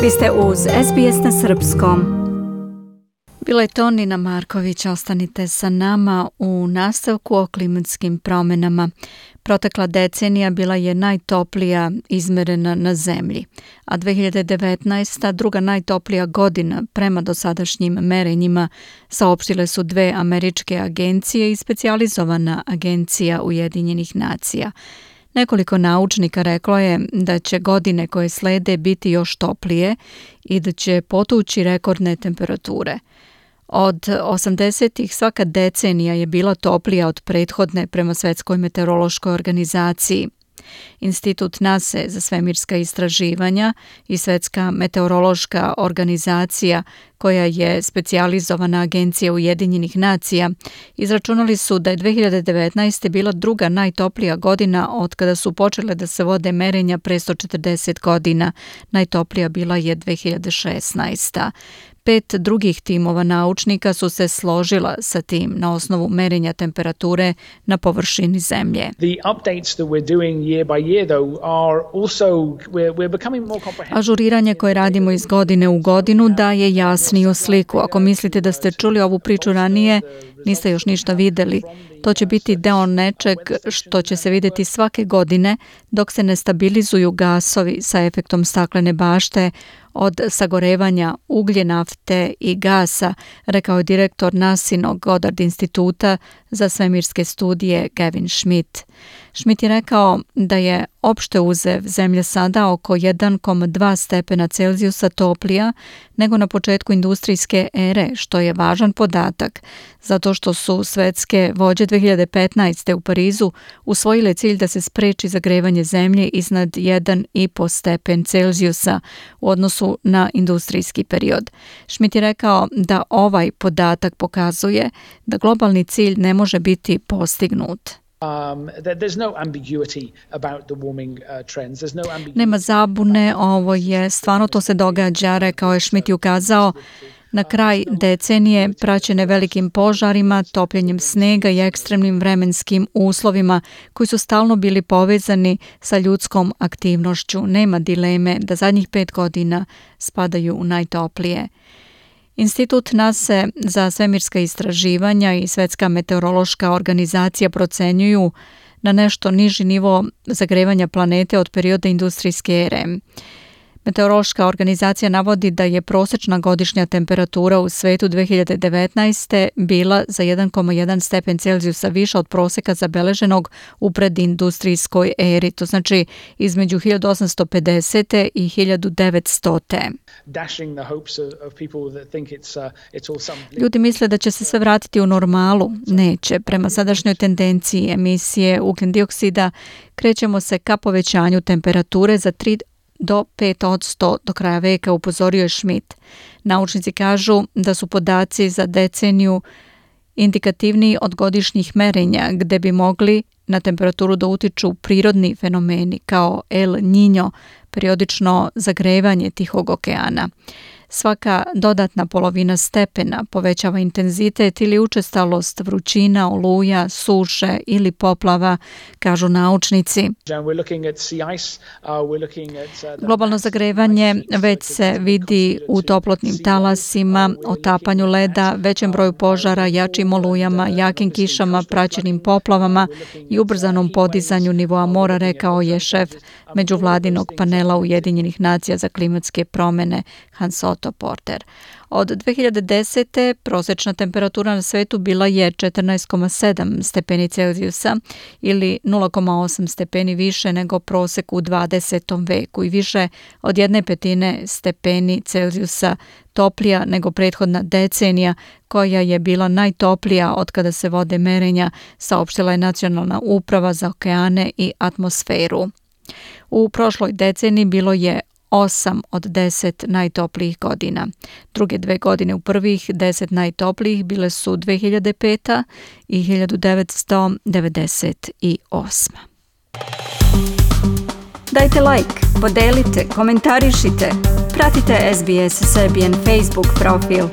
Vi ste uz SBS na srpskom. Bila je to Nina Marković, ostanite sa nama u nastavku o klimatskim promjenama. Protekla decenija bila je najtoplija izmerena na zemlji, a 2019. druga najtoplija godina prema dosadašnjim merenjima, saopštile su dve američke agencije i specijalizovana agencija Ujedinjenih nacija. Nekoliko naučnika reklo je da će godine koje slede biti još toplije i da će potući rekordne temperature. Od 80-ih svaka decenija je bila toplija od prethodne prema Svetskoj meteorološkoj organizaciji. Institut NASA za svemirska istraživanja i Svetska meteorološka organizacija, koja je specijalizovana agencija Ujedinjenih nacija, izračunali su da je 2019. bila druga najtoplija godina od kada su počele da se vode merenja pre 140 godina. Najtoplija bila je 2016. 5 drugih timova naučnika su se složila sa tim na osnovu merenja temperature na površini zemlje. Ažuriranje koje radimo iz godine u godinu daje jasniju sliku. Ako mislite da ste čuli ovu priču ranije, niste još ništa videli. To će biti deo nečeg što će se vidjeti svake godine dok se ne stabilizuju gasovi sa efektom staklene bašte od sagorevanja uglje, nafte i gasa, rekao je direktor NASInog Goddard instituta za svemirske studije Gavin Schmidt. Schmidt je rekao da je opšte uzev zemlja sada oko 1,2 stepena Celzijusa toplija nego na početku industrijske ere, što je važan podatak, zato što su svetske vođe 2015. u Parizu usvojile cilj da se spreči zagrevanje zemlje iznad 1,5 stepen Celzijusa u odnosu na industrijski period. Schmidt je rekao da ovaj podatak pokazuje da globalni cilj ne može biti postignut. Nema zabune, ovo je stvarno to se događa, rekao je Schmidt i ukazao na kraj decenije praćene velikim požarima, topljenjem snega i ekstremnim vremenskim uslovima koji su stalno bili povezani sa ljudskom aktivnošću. Nema dileme da zadnjih 5 godina spadaju u najtoplije. Institut NASA za svemirska istraživanja i Svetska meteorološka organizacija procenjuju na nešto niži nivo zagrevanja planete od perioda industrijske ere. Meteorološka organizacija navodi da je prosječna godišnja temperatura u svetu 2019. bila za 1,1 stepen Celzijusa više od prosjeka zabeleženog u predindustrijskoj eri, to znači između 1850. i 1900. Ljudi misle da će se sve vratiti u normalu. Neće. Prema sadašnjoj tendenciji emisije ugljen dioksida krećemo se ka povećanju temperature za 3 do 5% do kraja veka, upozorio je Schmidt. Naučnici kažu da su podaci za deceniju indikativniji od godišnjih merenja, gde bi mogli na temperaturu da utiču prirodni fenomeni kao El Niño, periodično zagrevanje Tihog okeana. Svaka dodatna polovina stepena povećava intenzitet ili učestalost vrućina, oluja, suše ili poplava, kažu naučnici. Globalno zagrevanje već se vidi u toplotnim talasima, otapanju leda, većem broju požara, jačim olujama, jakim kišama, praćenim poplavama i ubrzanom podizanju nivoa mora, rekao je šef međuvladinog panela Ujedinjenih nacija za klimatske promjene Hans Otto Porter. Od 2010. prosječna temperatura na svetu bila je 14,7 stepeni Celzijusa ili 0,8 stepeni više nego prosjek u 20. veku i više od 1/5 stepeni Celzijusa toplija nego prethodna decenija koja je bila najtoplija od kada se vode merenja, saopštila je Nacionalna uprava za okeane i atmosferu. U prošloj deceniji bilo je 8 od 10 najtoplijih godina. Druge 2 godine u prvih 10 najtoplijih bile su 2005. i 1998. Dajte like, podelite, komentarišite, pratite SBS Serbian Facebook profil.